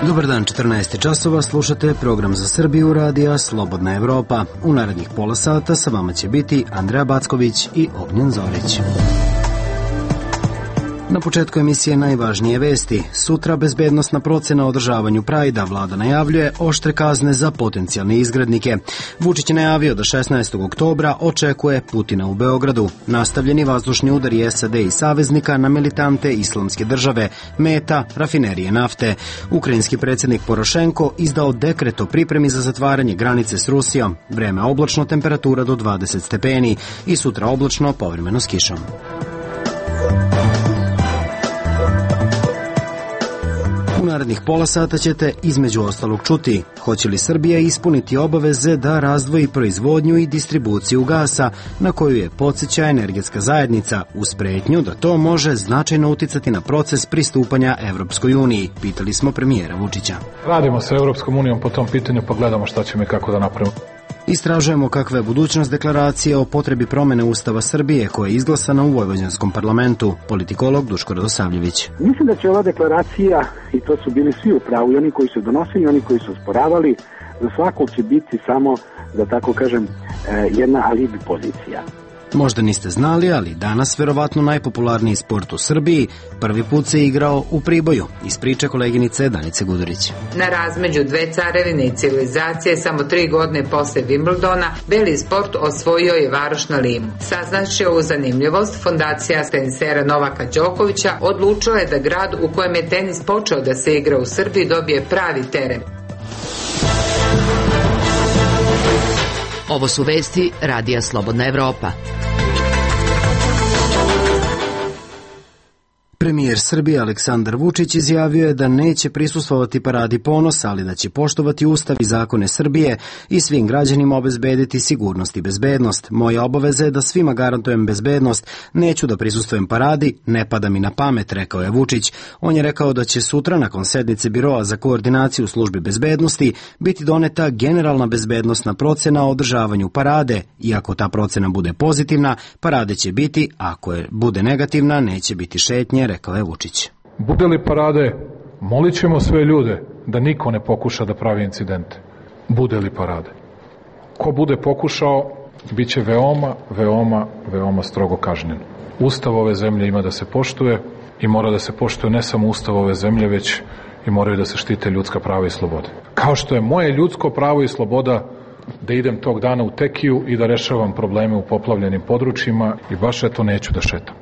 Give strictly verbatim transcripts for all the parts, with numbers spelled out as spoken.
Dobar dan, četrnaest časova, slušate program za Srbiju radija Slobodna Evropa. U narednih pola sata sa vama će biti Andreja Backović i Ognjen Zorić. Na početku emisije najvažnije vesti. Sutra bezbednosna procena o održavanju Prajda. Vlada najavljuje oštre kazne za potencijalne izgrednike. Vučić je najavio da šesnaestog oktobra očekuje Putina u Beogradu. Nastavljeni vazdušni udari S A D i saveznika na militante Islamske države, meta rafinerije nafte. Ukrajinski predsjednik Porošenko izdao dekret o pripremi za zatvaranje granice s Rusijom. Vreme oblačno, temperatura do dvadeset stepeni i sutra oblačno, povremeno s kišom. U narednih pola sata ćete između ostalog čuti hoće li Srbija ispuniti obaveze da razdvoji proizvodnju i distribuciju gasa na koju je podsjeća energetska zajednica uz pretnju da to može značajno uticati na proces pristupanja Evropskoj uniji, pitali smo premijera Vučića. Radimo sa Evropskom unijom po tom pitanju pa gledamo šta ćemo i kako da napravimo. Istražujemo kakva je budućnost deklaracije o potrebi promene Ustava Srbije koja je izglasana u Vojvođanskom parlamentu. Politikolog Duško Radosavljević. Mislim da će ova deklaracija, i to su bili svi u pravu, i oni koji su donosili, i oni koji su osporavali, za svakog će biti samo, da tako kažem, jedna alibi pozicija. Možda niste znali, ali danas verovatno najpopularniji sport u Srbiji prvi put se igrao u Priboju, iz priče koleginice Danice Gudurić. Na razmeđu dve carevine i civilizacije samo tri godine posle Wimbledona beli sport osvojio je varoš na Limu. Saznaći ovu zanimljivost, fondacija tenisera Novaka Đokovića odlučila je da grad u kojem je tenis počeo da se igra u Srbiji dobije pravi teren. Ovo su vesti radija Slobodna Evropa. Premijer Srbije Aleksandar Vučić izjavio je da neće prisustvovati paradi ponosa, ali da će poštovati Ustav i zakone Srbije i svim građanima obezbediti sigurnost i bezbednost. Moja obaveza je da svima garantujem bezbednost, neću da prisustvujem paradi, ne pada mi na pamet, rekao je Vučić. On je rekao da će sutra nakon sednice Biroa za koordinaciju službi bezbednosti biti doneta generalna bezbednosna procena o održavanju parade. Iako ta procena bude pozitivna, parade će biti, ako je bude negativna, neće biti šetnje, rekao je Vučić. Bude li parade, molit ćemo sve ljude da niko ne pokuša da pravi incidente. Bude li parade. Ko bude pokušao, bit će veoma, veoma, veoma strogo kažnjen. Ustav ove zemlje ima da se poštuje i mora da se poštuje ne samo Ustav ove zemlje, već i moraju da se štite ljudska prava i slobode. Kao što je moje ljudsko pravo i sloboda da idem tog dana u Tekiju i da rešavam probleme u poplavljenim područjima i baš eto neću da šetam.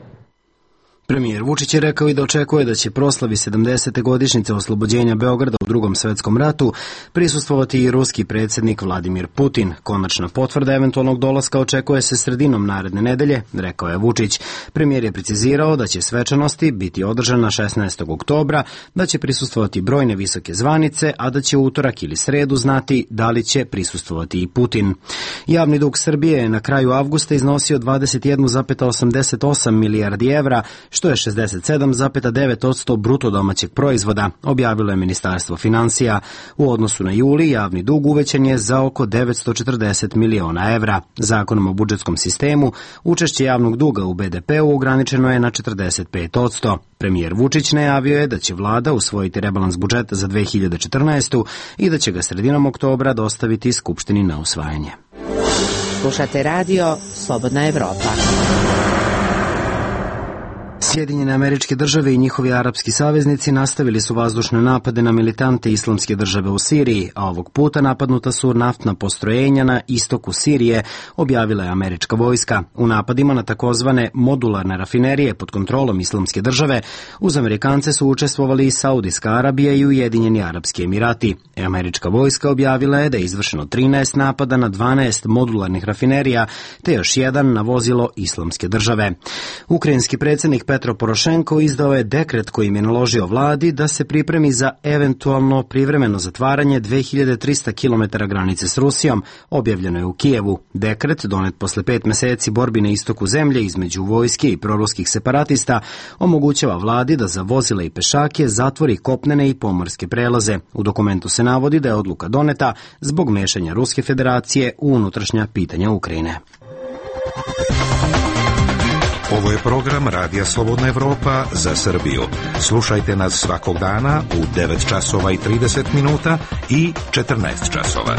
Premijer Vučić je rekao i da očekuje da će proslavi sedamdesete godišnjice oslobođenja Beograda u Drugom svetskom ratu prisustvovati i ruski predsjednik Vladimir Putin. Konačna potvrda eventualnog dolaska očekuje se sredinom naredne nedelje, rekao je Vučić. Premijer je precizirao da će svečanosti biti održana šesnaestog oktobra, da će prisustvovati brojne visoke zvanice, a da će utorak ili sredu znati da li će prisustvovati i Putin. Javni dug Srbije je na kraju avgusta iznosio dvadeset jedan zarez osamdeset osam milijardi evra, što je šezdeset sedam zarez devet posto bruto domaćeg proizvoda, objavilo je Ministarstvo finansija. U odnosu na juli javni dug uvećan je za oko devetsto četrdeset miliona evra. Zakonom o budžetskom sistemu učešće javnog duga u B D P-u ograničeno je na četrdeset pet posto. Premijer Vučić najavio je da će vlada usvojiti rebalans budžeta za dve hiljade četrnaestu. i da će ga sredinom oktobra dostaviti Skupštini na usvajanje. Slušate radio Slobodna Evropa. Sjedinjene Američke Države i njihovi arapski saveznici nastavili su vazdušne napade na militante Islamske države u Siriji, a ovog puta napadnuta su naftna postrojenja na istoku Sirije, objavila je američka vojska. U napadima na takozvane modularne rafinerije pod kontrolom Islamske države uz Amerikance su učestvovali i Saudijska Arabija i Ujedinjeni Arapski Emirati. Američka vojska objavila je da je izvršeno trinaest napada na dvanaest modularnih rafinerija, te još jedan na vozilo Islamske države. Ukrajinski predsjednik Petro Porošenko izdao je dekret kojim je naložio vladi da se pripremi za eventualno privremeno zatvaranje dve hiljade trista kilometara granice s Rusijom, objavljeno je u Kijevu. Dekret, donet posle pet meseci borbi na istoku zemlje između vojske i proruskih separatista, omogućava vladi da za vozila i pešake zatvori kopnene i pomorske prelaze. U dokumentu se navodi da je odluka doneta zbog mešanja Ruske federacije u unutrašnja pitanja Ukrajine. Ovo je program Radija Slobodna Evropa za Srbiju. Slušajte nas svakog dana u devet časova i trideset minuta i četrnaest časova.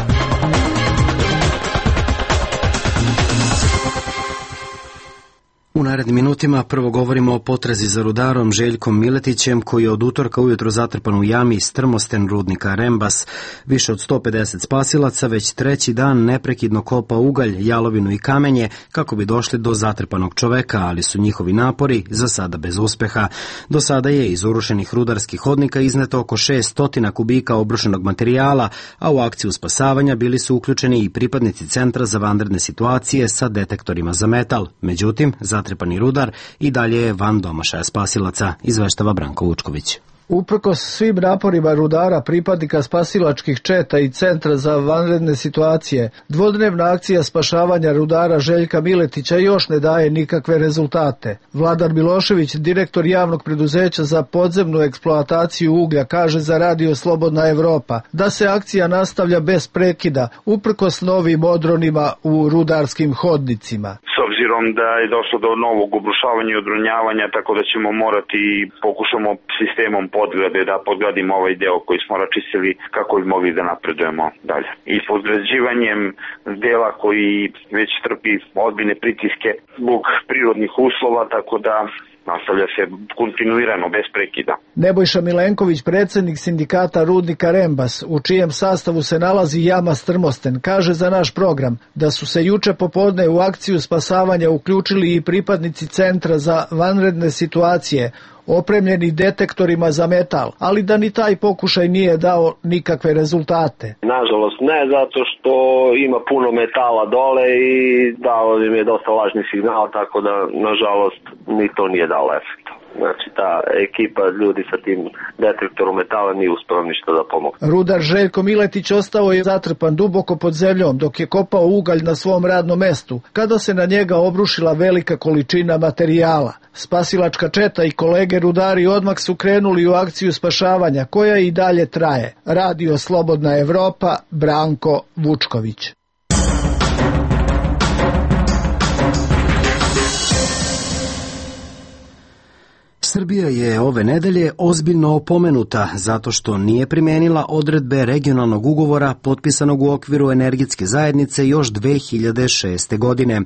U narednim minutima prvo govorimo o potrazi za rudarom Željkom Miletićem, koji je od utorka ujutro zatrpan u jami Strmosten rudnika Rembas. Više od sto pedeset spasilaca već treći dan neprekidno kopa ugalj, jalovinu i kamenje kako bi došli do zatrpanog čoveka, ali su njihovi napori za sada bez uspeha. Do sada je iz urušenih rudarskih hodnika izneto oko šest stotina kubika obrušenog materijala, a u akciju spasavanja bili su uključeni i pripadnici Centra za vanredne situacije sa detektorima za metal. Međutim, zatrpani rudar i dalje je van domašaja spasilaca, izveštava Branko Vučković. Uprkos svim naporima rudara, pripadnika spasilačkih četa i Centra za vanredne situacije, dvodnevna akcija spašavanja rudara Željka Miletića još ne daje nikakve rezultate. Vladar Milošević, direktor javnog preduzeća za podzemnu eksploataciju uglja, kaže za Radio Slobodna Evropa da se akcija nastavlja bez prekida, uprkos novim odronima u rudarskim hodnicima. S obzirom da je došlo do novog obrušavanja i odronjavanja, tako da ćemo morati pokušamo sistemom podgrade da podgradimo ovaj deo koji smo račistili kako bi mogli da napredujemo dalje. I podgrađivanjem dela koji već trpi ozbiljne pritiske zbog prirodnih uslova, tako da nastavlja se kontinuirano, bez prekida. Nebojša Milenković, predsjednik sindikata rudnika Rembas, u čijem sastavu se nalazi jama Strmosten, kaže za naš program da su se juče popodne u akciju spasavanja uključili i pripadnici Centra za vanredne situacije, opremljeni detektorima za metal, ali da ni taj pokušaj nije dao nikakve rezultate. Nažalost ne, zato što ima puno metala dole i dao im je dosta lažni signal, tako da nažalost ni to nije dalo efekta. Znači ta ekipa ljudi sa tim detektorom metala nije uspela ništa da pomogne. Rudar Željko Miletić ostao je zatrpan duboko pod zemljom dok je kopao ugalj na svom radnom mestu, kada se na njega obrušila velika količina materijala. Spasilačka četa i kolege rudari odmah su krenuli u akciju spašavanja, koja i dalje traje. Radio Slobodna Evropa, Branko Vučković. Srbija je ove nedelje ozbiljno opomenuta zato što nije primenila odredbe regionalnog ugovora potpisanog u okviru energetske zajednice još dve hiljade šeste. godine.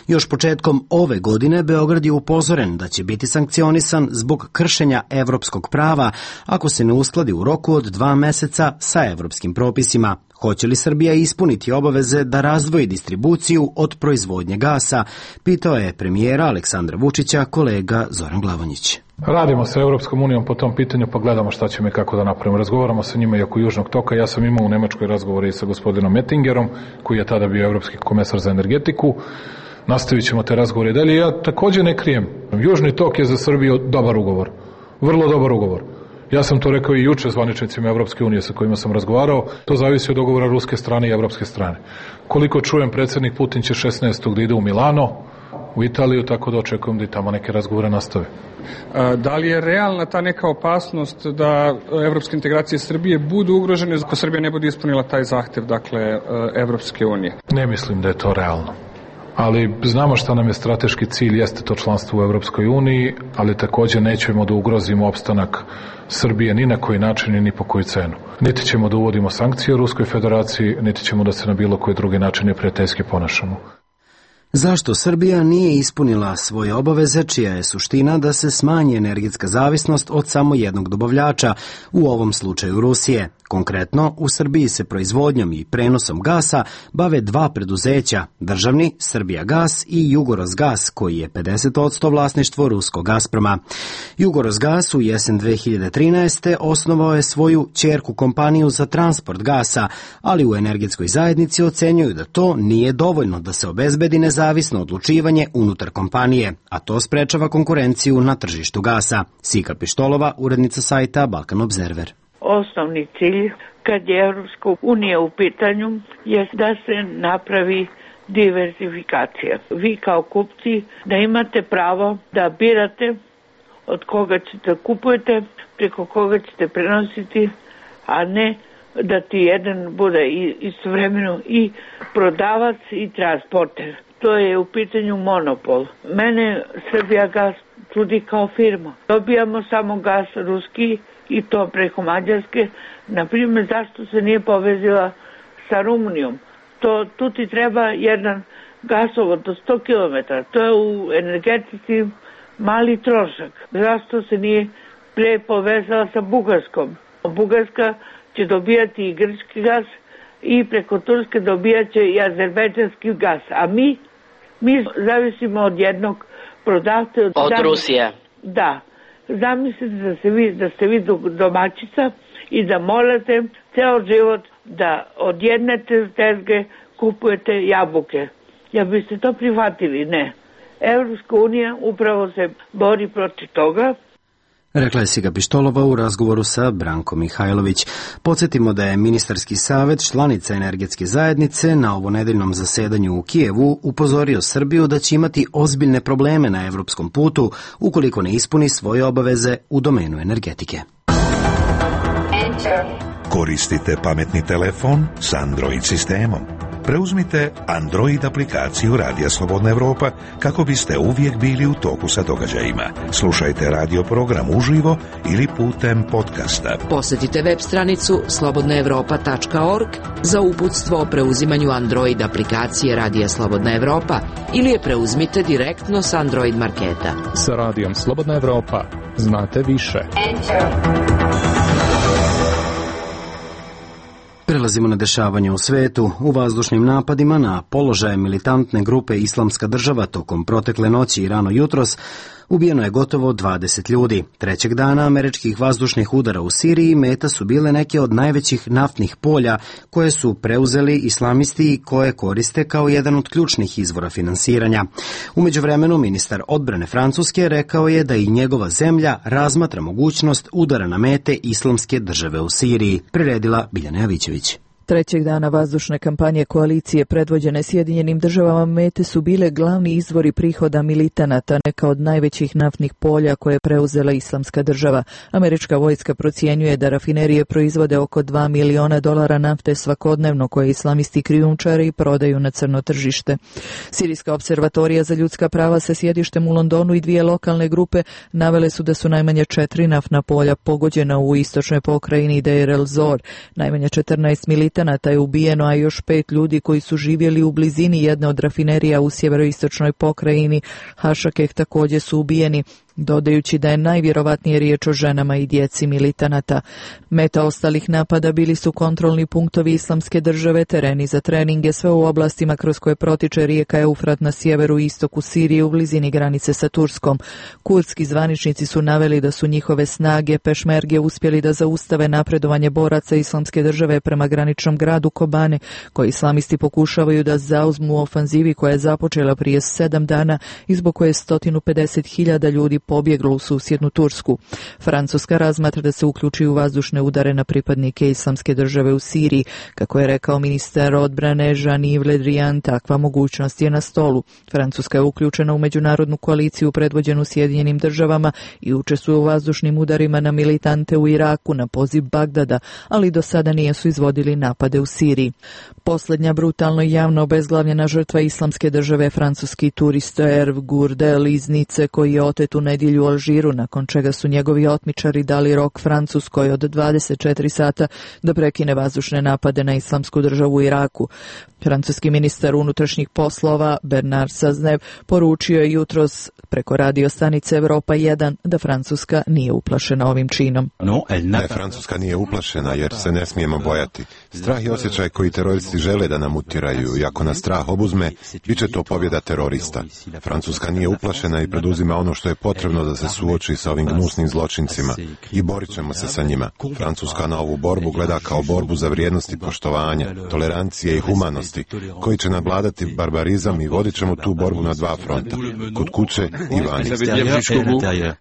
Još početkom ove godine Beograd je upozoren da će biti sankcionisan zbog kršenja evropskog prava ako se ne uskladi u roku od dva meseca sa evropskim propisima. Hoće li Srbija ispuniti obaveze da razdvoji distribuciju od proizvodnje gasa, pitao je premijera Aleksandra Vučića kolega Zoran Glavonjić. Radimo sa Evropskom unijom po tom pitanju, pa gledamo šta ćemo i kako da napravimo. Razgovaramo sa njima i oko Južnog toka. Ja sam imao u Nemačkoj razgovore i sa gospodinom Mettingerom, koji je tada bio evropski komesar za energetiku. Nastavit ćemo te razgovore dalje. Ja također ne krijem. Južni tok je za Srbiju dobar ugovor. Vrlo dobar ugovor. Ja sam to rekao i juče zvaničnicima Evropske unije sa kojima sam razgovarao. To zavisi od dogovora ruske strane i evropske strane. Koliko čujem, predsjednik Putin će šesnaestog da ide u Milano, u Italiju, tako da očekujem da i tamo neke razgovore nastave. Da li je realna ta neka opasnost da evropske integracije Srbije budu ugrožene ako Srbija ne bude ispunila taj zahtev, dakle, Evropske unije? Ne mislim da je to realno. Ali znamo šta nam je strateški cilj, jeste to članstvo u Evropskoj uniji, ali također nećemo da ugrozimo opstanak Srbije ni na koji način ni po koju cenu. Niti ćemo da uvodimo sankcije u Ruskoj federaciji, niti ćemo da se na bilo koji drugi način neprijateljski ponašamo. Zašto Srbija nije ispunila svoje obaveze, čija je suština da se smanji energetska zavisnost od samo jednog dobavljača, u ovom slučaju Rusije? Konkretno, u Srbiji se proizvodnjom i prenosom gasa bave dva preduzeća, državni Srbijagas i Jugorosgas, koji je pedeset posto vlasništvo ruskog Gazproma. Jugorosgas u jesen dve hiljade trinaeste. osnovao je svoju ćerku kompaniju za transport gasa, ali u energetskoj zajednici ocenjuju da to nije dovoljno da se obezbedi nezavisno odlučivanje unutar kompanije, a to sprečava konkurenciju na tržištu gasa. Sika Pištolova, urednica sajta Balkan Observer. Osnovni cilj kad je Evropska unija u pitanju je da se napravi diversifikacija. Vi kao kupci da imate pravo da birate od koga ćete kupujete, preko koga ćete prenositi, a ne da ti jedan bude istovremeno i prodavac i transporter. to je u pitanju monopol. Mene Srbijagas čudi kao firma. Dobijamo samo gas ruski i to preko Mađarske. Naprimjer, zašto se nije povezila sa Rumunijom? To, tu ti treba jedan gasovod do sto kilometara. To je u energetici mali trošak. Zašto se nije pre povezala sa Bugarskom? Bugarska će dobijati i grčki gas i preko Turske dobijat će i azerbejdžanski gas. A mi, mi zavisimo od jednog prodavca. Od, od Rusije. Da. Zamislite da, se vi, da ste vi domaćica i da morate ceo život da od jedne tezge kupujete jabuke. Ja biste to prihvatili? Ne. Evropska unija upravo se bori protiv toga. Rekla je Siga Pištolova u razgovoru sa Brankom Mihajlović. Podsjetimo da je ministarski savet članica energetske zajednice na ovonedeljnom zasedanju u Kijevu upozorio Srbiju da će imati ozbiljne probleme na evropskom putu ukoliko ne ispuni svoje obaveze u domenu energetike. Koristite pametni telefon s Android sistemom. Preuzmite Android aplikaciju Radija Slobodna Evropa kako biste uvijek bili u toku sa događajima. Slušajte radio program uživo ili putem podcasta. Posjetite web stranicu slobodna evropa tačka org za uputstvo o preuzimanju Android aplikacije Radija Slobodna Evropa ili je preuzmite direktno s Android marketa. Sa Radijom Slobodna Evropa znate više. Prelazimo na dešavanje u svetu. U vazdušnim napadima na položaje militantne grupe Islamska država tokom protekle noći i rano jutros ubijeno je gotovo dvadeset ljudi. Trećeg dana američkih vazdušnih udara u Siriji meta su bile neke od najvećih naftnih polja koje su preuzeli islamisti i koje koriste kao jedan od ključnih izvora finansiranja. U međuvremenu ministar odbrane Francuske rekao je da i njegova zemlja razmatra mogućnost udara na mete Islamske države u Siriji, priredila Biljana Javićević. Trećeg dana vazdušne kampanje koalicije predvođene Sjedinjenim državama mete su bile glavni izvori prihoda militanata, neka od najvećih naftnih polja koje je preuzela Islamska država. Američka vojska procjenjuje da rafinerije proizvode oko dva miliona dolara nafte svakodnevno koje islamisti krijumčare i prodaju na crno tržište. Sirijska observatorija za ljudska prava sa sjedištem u Londonu i dvije lokalne grupe navele su da su najmanje četiri naftna polja pogođena u istočnoj pokrajini Deir el-Zor. Najmanje četrnaest militanata je ubijeno, a još pet ljudi koji su živjeli u blizini jedne od rafinerija u sjeveroistočnoj pokrajini Hašakeh također su ubijeni, dodajući da je najvjerovatnije riječ o ženama i djeci militanata. Meta ostalih napada bili su kontrolni punktovi Islamske države, tereni za treninge, sve u oblastima kroz koje protiče rijeka Eufrat na sjeveru i istoku Sirije u blizini granice sa Turskom. Kurdski zvaničnici su naveli da su njihove snage pešmerge uspjeli da zaustave napredovanje boraca Islamske države prema graničnom gradu Kobane, koji islamisti pokušavaju da zauzmu u ofanzivi koja je započela prije sedam dana i zbog koje je sto pedeset hiljada ljudi pobjeglo u susjednu Tursku. Francuska razmatra da se uključi u vazdušne udare na pripadnike Islamske države u Siriji. Kako je rekao ministar odbrane Jean-Yves Le Drian, takva mogućnost je na stolu. Francuska je uključena u međunarodnu koaliciju predvođenu Sjedinjenim državama i učestvuje u vazdušnim udarima na militante u Iraku na poziv Bagdada, ali do sada nisu izvodili napade u Siriji. Posljednja brutalno i javno obezglavljena žrtva Islamske države francuski turista Hervé Gourdel iz Nice, koji je otet u nedjelju u Alžiru, nakon čega su njegovi otmičari dali rok Francuskoj od dvadeset četiri sata da prekine vazdušne napade na Islamsku državu u Iraku. Francuski ministar unutrašnjih poslova Bernard Cazeneuve poručio je jutros preko radio stanice Evropa jedan da Francuska nije uplašena ovim činom. Ne, Francuska nije uplašena jer se ne smijemo bojati. Strah je osjećaj koji teroristi žele da nam utjeraju i ako nas strah obuzme, bit će to pobjeda terorista. Francuska nije uplašena i preduzima ono što je potrebno da se suoči sa ovim gnusnim zločincima i borit ćemo se sa njima. Francuska na ovu borbu gleda kao borbu za vrijednosti poštovanja, tolerancije i humanosti, koji će nadvladati barbarizam i vodit ćemo tu borbu na dva fronta, kod kuće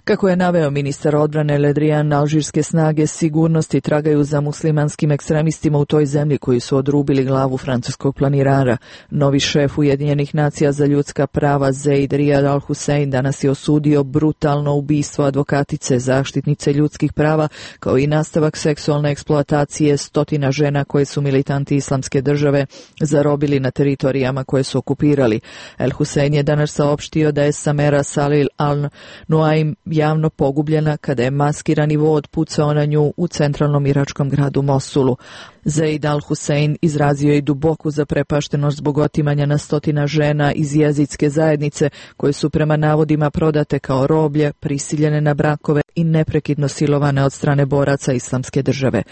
Kako je naveo ministar odbrane Ledrian, alžirske snage sigurnosti tragaju za muslimanskim ekstremistima u toj zemlji koji su odrubili glavu francuskog planirara. Novi šef Ujedinjenih nacija za ljudska prava Zeid Riyad al-Hussein danas je osudio brutalno ubistvo advokatice, zaštitnice ljudskih prava, kao i nastavak seksualne eksploatacije stotina žena koje su militanti Islamske države zarobili na teritorijama koje su okupirali. El-Hussein je danas saopštio da je Samera Salil al-Nuaim javno pogubljena kada je maskirani vod pucao na nju u centralnom iračkom gradu Mosulu. Zeid al-Hussein izrazio je duboku zaprepaštenost zbog otimanja na stotina žena iz jezidske zajednice koje su prema navodima prodate kao roblje, prisiljene na brakove i neprekidno silovane od strane boraca Islamske države.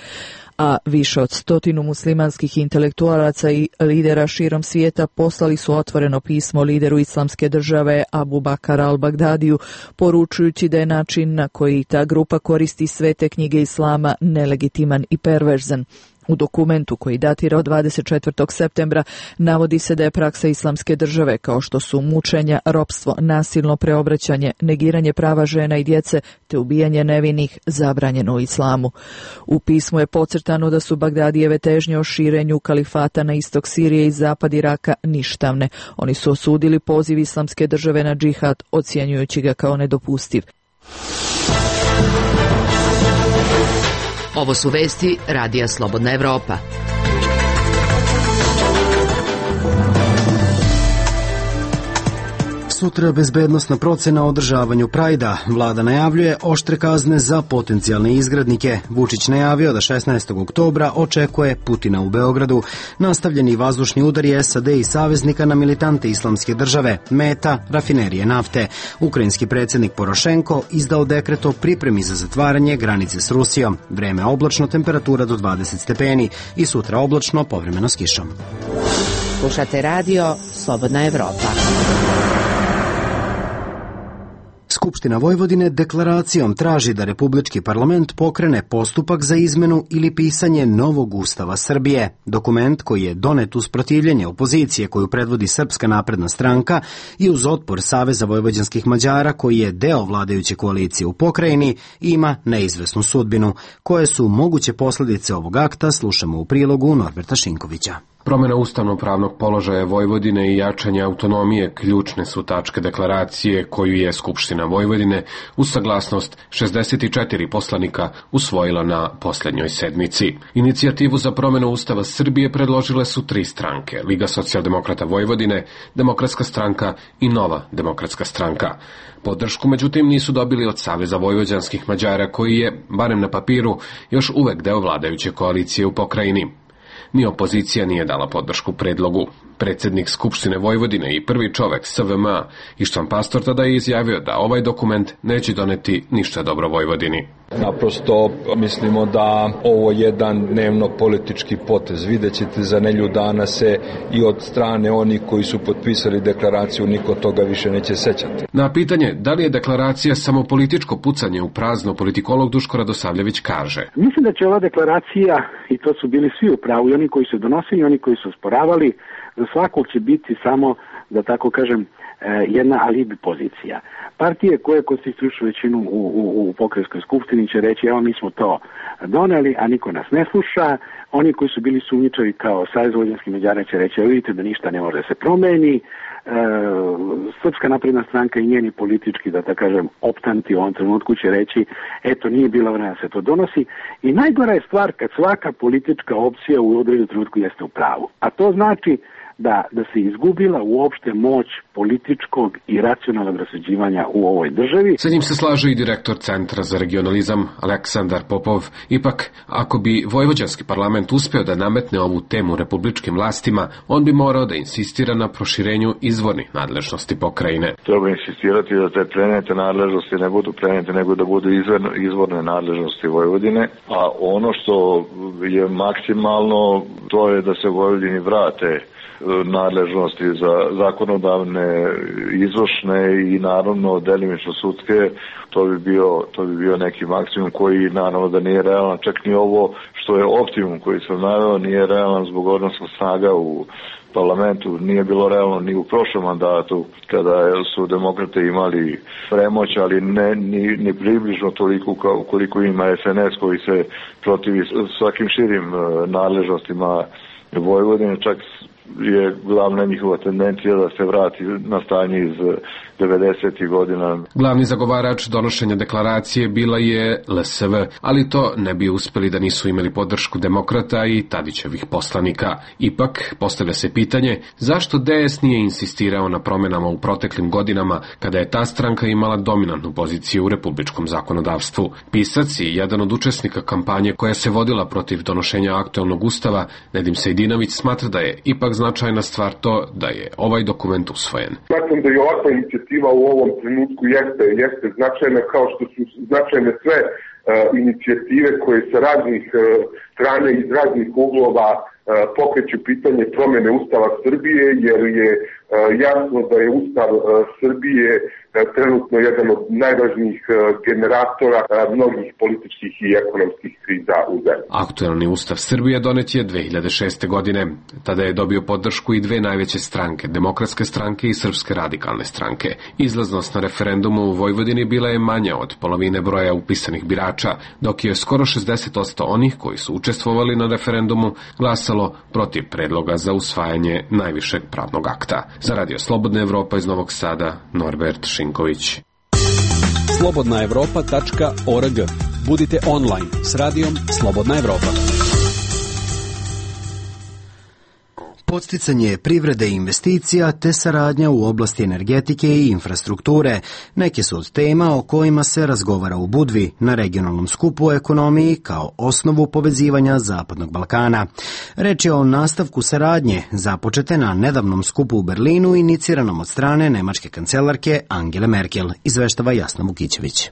A više od stotinu muslimanskih intelektualaca i lidera širom svijeta poslali su otvoreno pismo lideru Islamske države Abu Bakar al-Bagdadiju, poručujući da je način na koji ta grupa koristi svete knjige Islama nelegitiman i perverzan. U dokumentu koji datira od dvadeset četvrtog septembra navodi se da je praksa Islamske države, kao što su mučenja, ropstvo, nasilno preobraćanje, negiranje prava žena i djece te ubijanje nevinih, zabranjeno u islamu. U pismu je podcrtano da su Bagdadijeve težnje o širenju kalifata na istok Sirije i zapad Iraka ništavne. Oni su osudili poziv Islamske države na džihad, ocjenjujući ga kao nedopustiv. Ovo su vesti Radija Slobodna Evropa. Sutra bezbednosna procena o održavanju Prajda. Vlada najavljuje oštre kazne za potencijalne izgrednike. Vučić najavio da šesnaestog oktobra očekuje Putina u Beogradu. Nastavljeni vazdušni udari S A D i saveznika na militante Islamske države. Meta, rafinerije nafte. Ukrajinski predsjednik Porošenko izdao dekret o pripremi za zatvaranje granice s Rusijom. Vreme oblačno, temperatura do dvadeset stepeni i sutra oblačno, povremeno s kišom. Slušate radio Slobodna Evropa. Skupština Vojvodine deklaracijom traži da Republički parlament pokrene postupak za izmenu ili pisanje novog Ustava Srbije. Dokument koji je donet uz protivljenje opozicije koju predvodi Srpska napredna stranka i uz otpor Saveza vojvođanskih Mađara koji je deo vladajuće koalicije u pokrajini ima neizvesnu sudbinu. Koje su moguće posljedice ovog akta slušamo u prilogu Norberta Šinkovića. Promjena ustavno-pravnog položaja Vojvodine i jačanje autonomije ključne su tačke deklaracije koju je Skupština Vojvodine uz saglasnost šezdeset četiri poslanika usvojila na posljednjoj sedmici. Inicijativu za promjenu Ustava Srbije predložile su tri stranke: Liga socijaldemokrata Vojvodine, Demokratska stranka i Nova demokratska stranka. Podršku, međutim, nisu dobili od Saveza vojvođanskih Mađara koji je, barem na papiru, još uvek deo vladajuće koalicije u pokrajini. Ni opozicija nije dala podršku predlogu. Predsjednik Skupštine Vojvodine i prvi čovek S V M A Ištvan Pastor tada je izjavio da ovaj dokument neće doneti ništa dobro Vojvodini. Naprosto mislimo da ovo je jedan dnevno politički potez. Vidjet ćete za nelju dana se i od strane onih koji su potpisali deklaraciju niko toga više neće sećati. Na pitanje da li je deklaracija samo političko pucanje u prazno, politikolog Duško Radosavljević kaže: Mislim da će ova deklaracija, i to su bili svi u pravu, i oni koji su donosili i oni koji su sporavali, za svakog će biti samo, da tako kažem, jedna alibi pozicija. Partije koje konstituišu većinu u, u, u pokrajinskoj skupštini će reći evo mi smo to doneli, a niko nas ne sluša. Oni koji su bili sumnjičavi kao Savez vojvođanskih Mađara će reći evo vidite da ništa ne može da se promeni. E, Srpska napredna stranka i njeni politički, da tako kažem, optanti u ovom trenutku će reći eto nije bilo vremena da se to donosi. I najgora je stvar kad svaka politička opcija u određenom trenutku jeste u pravu. A to znači da, da se izgubila uopšte moć političkog i racionalnog rasuđivanja u ovoj državi. Sa njim se slaže i direktor Centra za regionalizam Aleksandar Popov. Ipak, ako bi vojvođanski parlament uspeo da nametne ovu temu republičkim vlastima, on bi morao da insistira na proširenju izvornih nadležnosti pokrajine. Treba insistirati da te prenete nadležnosti ne budu prenete, nego da budu izvorne, izvorne nadležnosti Vojvodine, a ono što je maksimalno, to je da se Vojvodini vrate nadležnosti za zakonodavne, izvršne i naravno delimično sudske, to bi bio, to bi bio neki maksimum koji naravno da nije realan, čak ni ovo što je optimum koji sam naveo nije realan zbog odnosa snaga u parlamentu, nije bilo realno ni u prošlom mandatu kada su demokrate imali premoć, ali ne ni, ni približno toliko kao koliko ima S N S koji se protivi svakim širim nadležnostima Vojvodine, čak je glavna njihova tendencija da se vrati na stanje iz devedesetih godina. Glavni zagovarač donošenja deklaracije bila je L S V, ali to ne bi uspeli da nisu imali podršku demokrata i Tadićevih poslanika. Ipak, postavlja se pitanje zašto D S nije insistirao na promenama u proteklim godinama kada je ta stranka imala dominantnu poziciju u republičkom zakonodavstvu. Pisac i jedan od učesnika kampanje koja se vodila protiv donošenja aktuelnog ustava, Nedim Sejdinović, smatra da je ipak značajna stvar to da je ovaj dokument usvojen. Smatram da je ovakva inicijativa u ovom trenutku jeste, jeste značajna, kao što su značajne sve uh, inicijative koje sa raznih uh, strane iz raznih uglova uh, pokreću pitanje promjene Ustava Srbije, jer je uh, jasno da je Ustav uh, Srbije uh, trenutno jedan od najvažnijih uh, generatora uh, mnogih političkih i ekonomskih kriza u zemlji. Aktuelni Ustav Srbije donet je dve hiljade šeste godine. Tada je dobio podršku i dve najveće stranke, Demokratske stranke i Srpske radikalne stranke. Izlaznost na referendumu u Vojvodini bila je manja od polovine broja upisanih birača, dok je skoro šezdeset posto onih koji su učestvovali na referendumu glasalo protiv predloga za usvajanje najvišeg pravnog akta. Za Radio Slobodna Evropa iz Novog Sada, Norbert Šinković. slobodna evropa tačka org. Budite online s radijom Slobodna Evropa. Podsticanje privrede i investicija te saradnja u oblasti energetike i infrastrukture neke su od tema o kojima se razgovara u Budvi na regionalnom skupu o ekonomiji kao osnovu povezivanja Zapadnog Balkana. Reč je o nastavku saradnje započete na nedavnom skupu u Berlinu iniciranom od strane nemačke kancelarke Angele Merkel, izveštava Jasna Vukićević.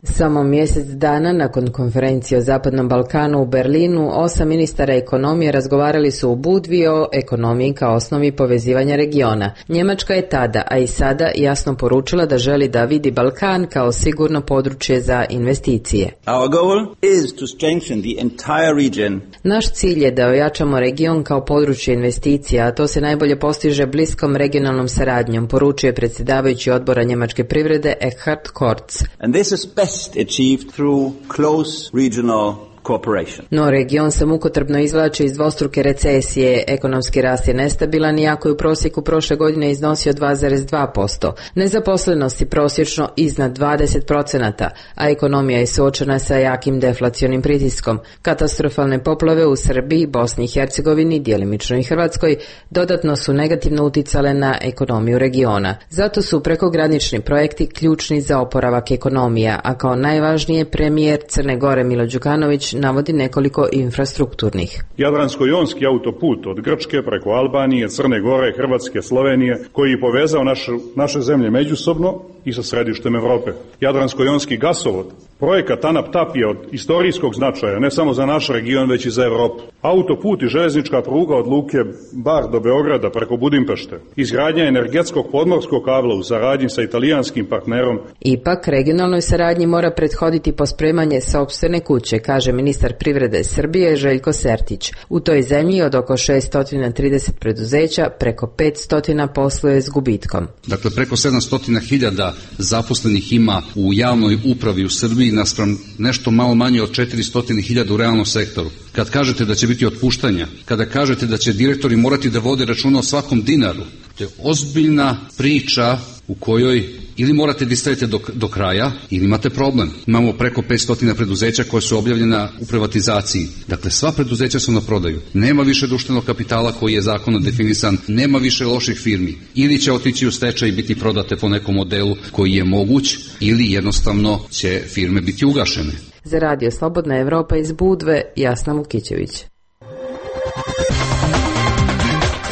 Samo mjesec dana nakon konferencije o Zapadnom Balkanu u Berlinu, osam ministara ekonomije razgovarali su u Budvi o ekonomiji kao osnovi povezivanja regiona. Njemačka je tada, a i sada, jasno poručila da želi da vidi Balkan kao sigurno područje za investicije. Our goal is to strengthen the entire region. Naš cilj je da ojačamo region kao područje investicija, a to se najbolje postiže bliskom regionalnom saradnjom, poručuje predsjedavajući odbora njemačke privrede Eckhard Kortz. And this is best achieved through close regional cooperation. No, region se mukotrpno izvlači iz dvostruke recesije, ekonomski rast je nestabilan iako je u prosjeku prošle godine iznosio dva zarez dva posto. Nezaposlenost je prosječno iznad dvadeset procenata, a ekonomija je suočena sa jakim deflacionim pritiskom. Katastrofalne poplave u Srbiji, Bosni i Hercegovini, djelimično i Hrvatskoj, dodatno su negativno uticale na ekonomiju regiona. Zato su prekogranični projekti ključni za oporavak ekonomija, a kao najvažnije premijer Crne Gore Milo Đukanović navodi nekoliko infrastrukturnih. Jadransko-jonski autoput od Grčke preko Albanije, Crne Gore, Hrvatske, Slovenije, koji je povezao našu, naše zemlje međusobno i sa središtem Evrope. Jadransko-jonski gasovod, projekat Tanap-Tap je od istorijskog značaja, ne samo za naš region, već i za Evropu. Autoput i železnička pruga od luke Bar do Beograda preko Budimpešte. Izgradnja energetskog podmorskog kabla u saradnji sa italijanskim partnerom. Ipak, regionalnoj saradnji mora prethoditi pospremanje sopstvene kuće, kaže ministar privrede Srbije Željko Sertić. U toj zemlji od oko šesto trideset preduzeća preko petsto posluje s gubitkom. Dakle, preko sedamsto hiljada zaposlenih ima u javnoj upravi u Srbiji naspram nešto malo manje od četiristo hiljada u realnom sektoru. Kad kažete da će biti otpuštanja, kada kažete da će direktori morati da vode računa o svakom dinaru, to je ozbiljna priča u kojoj ili morate da istrajete do, do kraja, ili imate problem. Imamo preko petsto preduzeća koje su objavljena u privatizaciji. Dakle, sva preduzeća su na prodaju. Nema više društvenog kapitala koji je zakonom definisan, nema više loših firmi. Ili će otići u stečaj i biti prodate po nekom modelu koji je moguć, ili jednostavno će firme biti ugašene. Za Radio Slobodna Evropa iz Budve, Jasna Vukićević.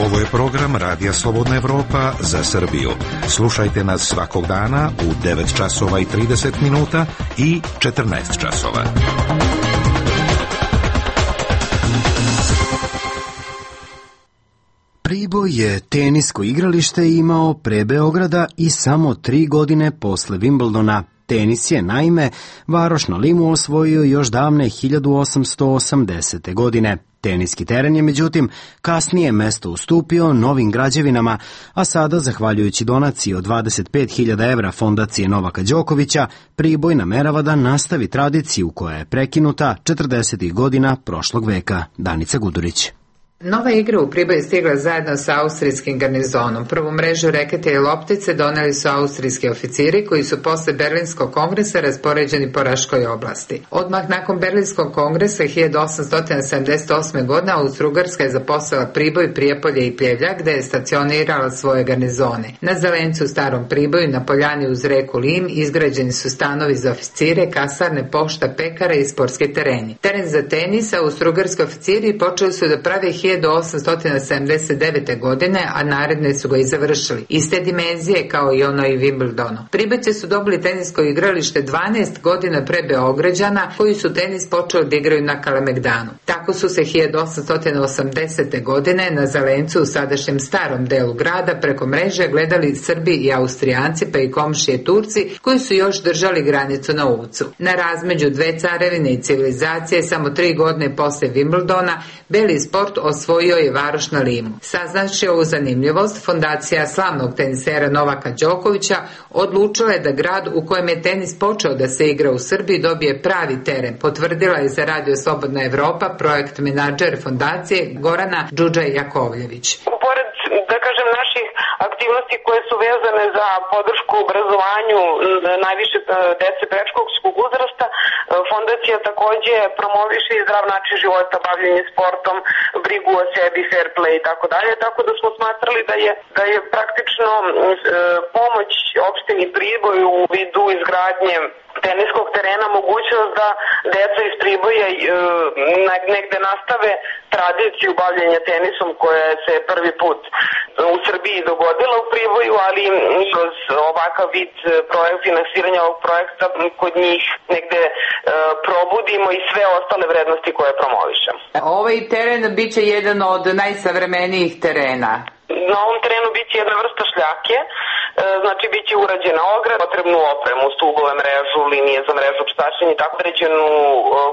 Ovo je program Radija Slobodna Evropa za Srbiju. Slušajte nas svakog dana u devet časova i trideset minuta i četrnaest časova. Priboj je tenisko igralište imao pre Beograda i samo tri godine posle Wimbledona. Tenis je, naime, varoš na Limu osvojio još davne hiljadu osamsto osamdesete. godine. Teniski teren je, međutim, kasnije mesto ustupio novim građevinama, a sada, zahvaljujući donaciji od dvadeset pet hiljada evra fondacije Novaka Đokovića, Priboj namerava da nastavi tradiciju koja je prekinuta četrdesetih godina prošlog veka. Danica Gudurić. Nova igra u Priboju stigla zajedno sa austrijskim garnizonom. Prvu mrežu rekete i loptice doneli su austrijski oficiri koji su posle Berlinskog kongresa raspoređeni po Raškoj oblasti. Odmah nakon Berlinskog kongresa hiljadu osamsto sedamdeset osme. godine Austro-Ugarska je zaposlila Priboj, Prijepolje i Pljevljak gde je stacionirala svoje garnizone. Na Zelencu u Starom Priboju na poljani uz reku Lim izgrađeni su stanovi za oficire, kasarne, pošta, pekare i sportski tereni. Teren za tenis austro-ugarski oficiri počeli su da prave hiljadu osamsto sedamdeset devete. godine, a naredne su ga i završili. Iste dimenzije kao i ono i Wimbledonu. Pribojci su dobili tenisko igralište dvanaest godina pre Beograđana, koji su tenis počeli da igraju na Kalemegdanu. Tako su se hiljadu osamsto osamdesete. godine na Zelencu u sadašnjem starom delu grada preko mreže gledali Srbi i Austrijanci pa i komšije Turci koji su još držali granicu na Uvcu. Na razmeđu dve carevine i civilizacije samo tri godine posle Wimbledona beli sport osvojio je varoš na Limu. Saznači ovu zanimljivost, fondacija slavnog tenisera Novaka Đokovića odlučila je da grad u kojem je tenis počeo da se igra u Srbiji dobije pravi teren, potvrdila je za Radio Slobodna Evropa projekt menadžer fondacije Gorana Đuđa Jakovljević. Pored, da kažem, naših aktivnosti koje su vezane za podršku obrazovanju najviše dece predškolskog uzrasta, fondacija takođe promoviše i zdrav način života, bavljenje sportom, brigu o sebi, fair play i tako dalje, tako da smo smatrali da je, da je praktično e, pomoć opštini Priboj u vidu izgradnje teniskog terena mogućnost da deca iz Priboja e, negde nastave tradiciju bavljenja tenisom koja se prvi put u Srbiji dogodila u Priboju, ali kroz ovakav vid projekt, finansiranja ovog projekta kod njih negde e, probudimo i sve ostale vrednosti koje promovišemo. Ovaj teren biće jedan od najsavremenijih terena. Na ovom terenu biće jedna vrsta šljake, znači biće urađena ograda, potrebnu opremu, stubove, mrežu, linije za mrežu, pstačenje, tako određenu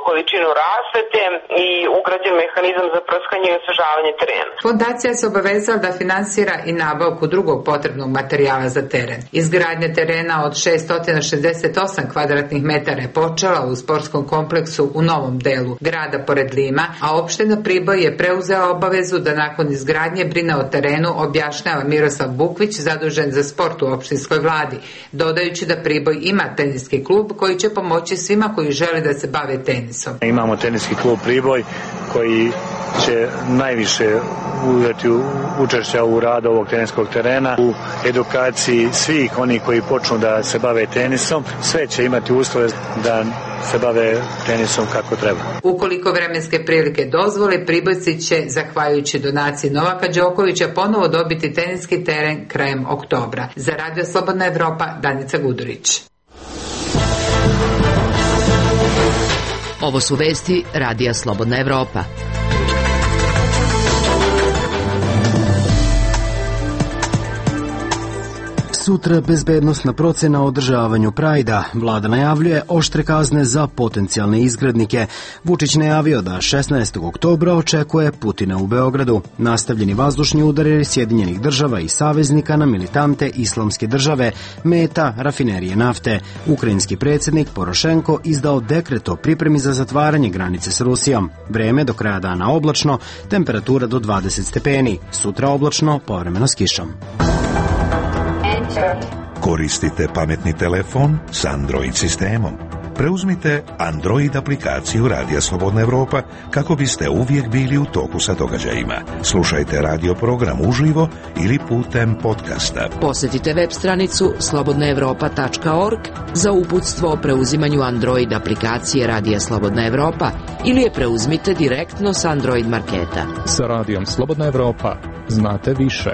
količinu rasvete i ugrađen mehanizam za prskanje i osvežavanje terena. Fondacija se obavezala da finansira i nabavku drugog potrebnog materijala za teren. Izgradnja terena od šessto šezdeset osam kvadratnih metara je počela u sportskom kompleksu u novom delu grada pored Lima, a opština Priboj je preuzela obavezu da nakon izgradnje brine o terenu, objašnjava Miroslav Bukvić, zadužen za sport u opštinskoj vladi, dodajući da Priboj ima teniski klub koji će pomoći svima koji žele da se bave tenisom. Imamo teniski klub Priboj koji će najviše uzeti učešća u radu ovog teniskog terena, u edukaciji svih onih koji počnu da se bave tenisom. Sve će imati uslove da se bave tenisom kako treba. Ukoliko vremenske prilike dozvole, Pribojci će, zahvaljujući donaciji Novaka Đokovića, ponovo dobiti teniski teren krajem oktobra. Za Radio Slobodna Evropa, Danica Gudurić. Ovo su vesti Radija Slobodna Evropa. Sutra bezbednosna procena o održavanju Prajda. Vlada najavljuje oštre kazne za potencijalne izgrednike. Vučić najavio da šesnaestog oktobra očekuje Putina u Beogradu. Nastavljeni vazdušni udari Sjedinjenih država i saveznika na militante Islamske države, meta rafinerije nafte. Ukrajinski predsjednik Porošenko izdao dekret o pripremi za zatvaranje granice s Rusijom. Vreme do kraja dana oblačno, temperatura do dvadeset stepeni. Sutra oblačno, povremeno s kišom. Koristite pametni telefon s Android sistemom. Preuzmite Android aplikaciju Radija Slobodna Evropa kako biste uvijek bili u toku sa događajima. Slušajte radio program uživo ili putem podcasta. Posjetite web stranicu slobodna evropa tačka org za uputstvo o preuzimanju Android aplikacije Radija Slobodna Evropa ili je preuzmite direktno s Android marketa. Sa Radijom Slobodna Evropa znate više.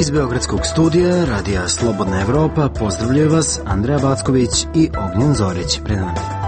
Iz Beogradskog studija Radija Slobodna Evropa pozdravljaju vas Andreja Backović i Ognjen Zorić. Pred nama.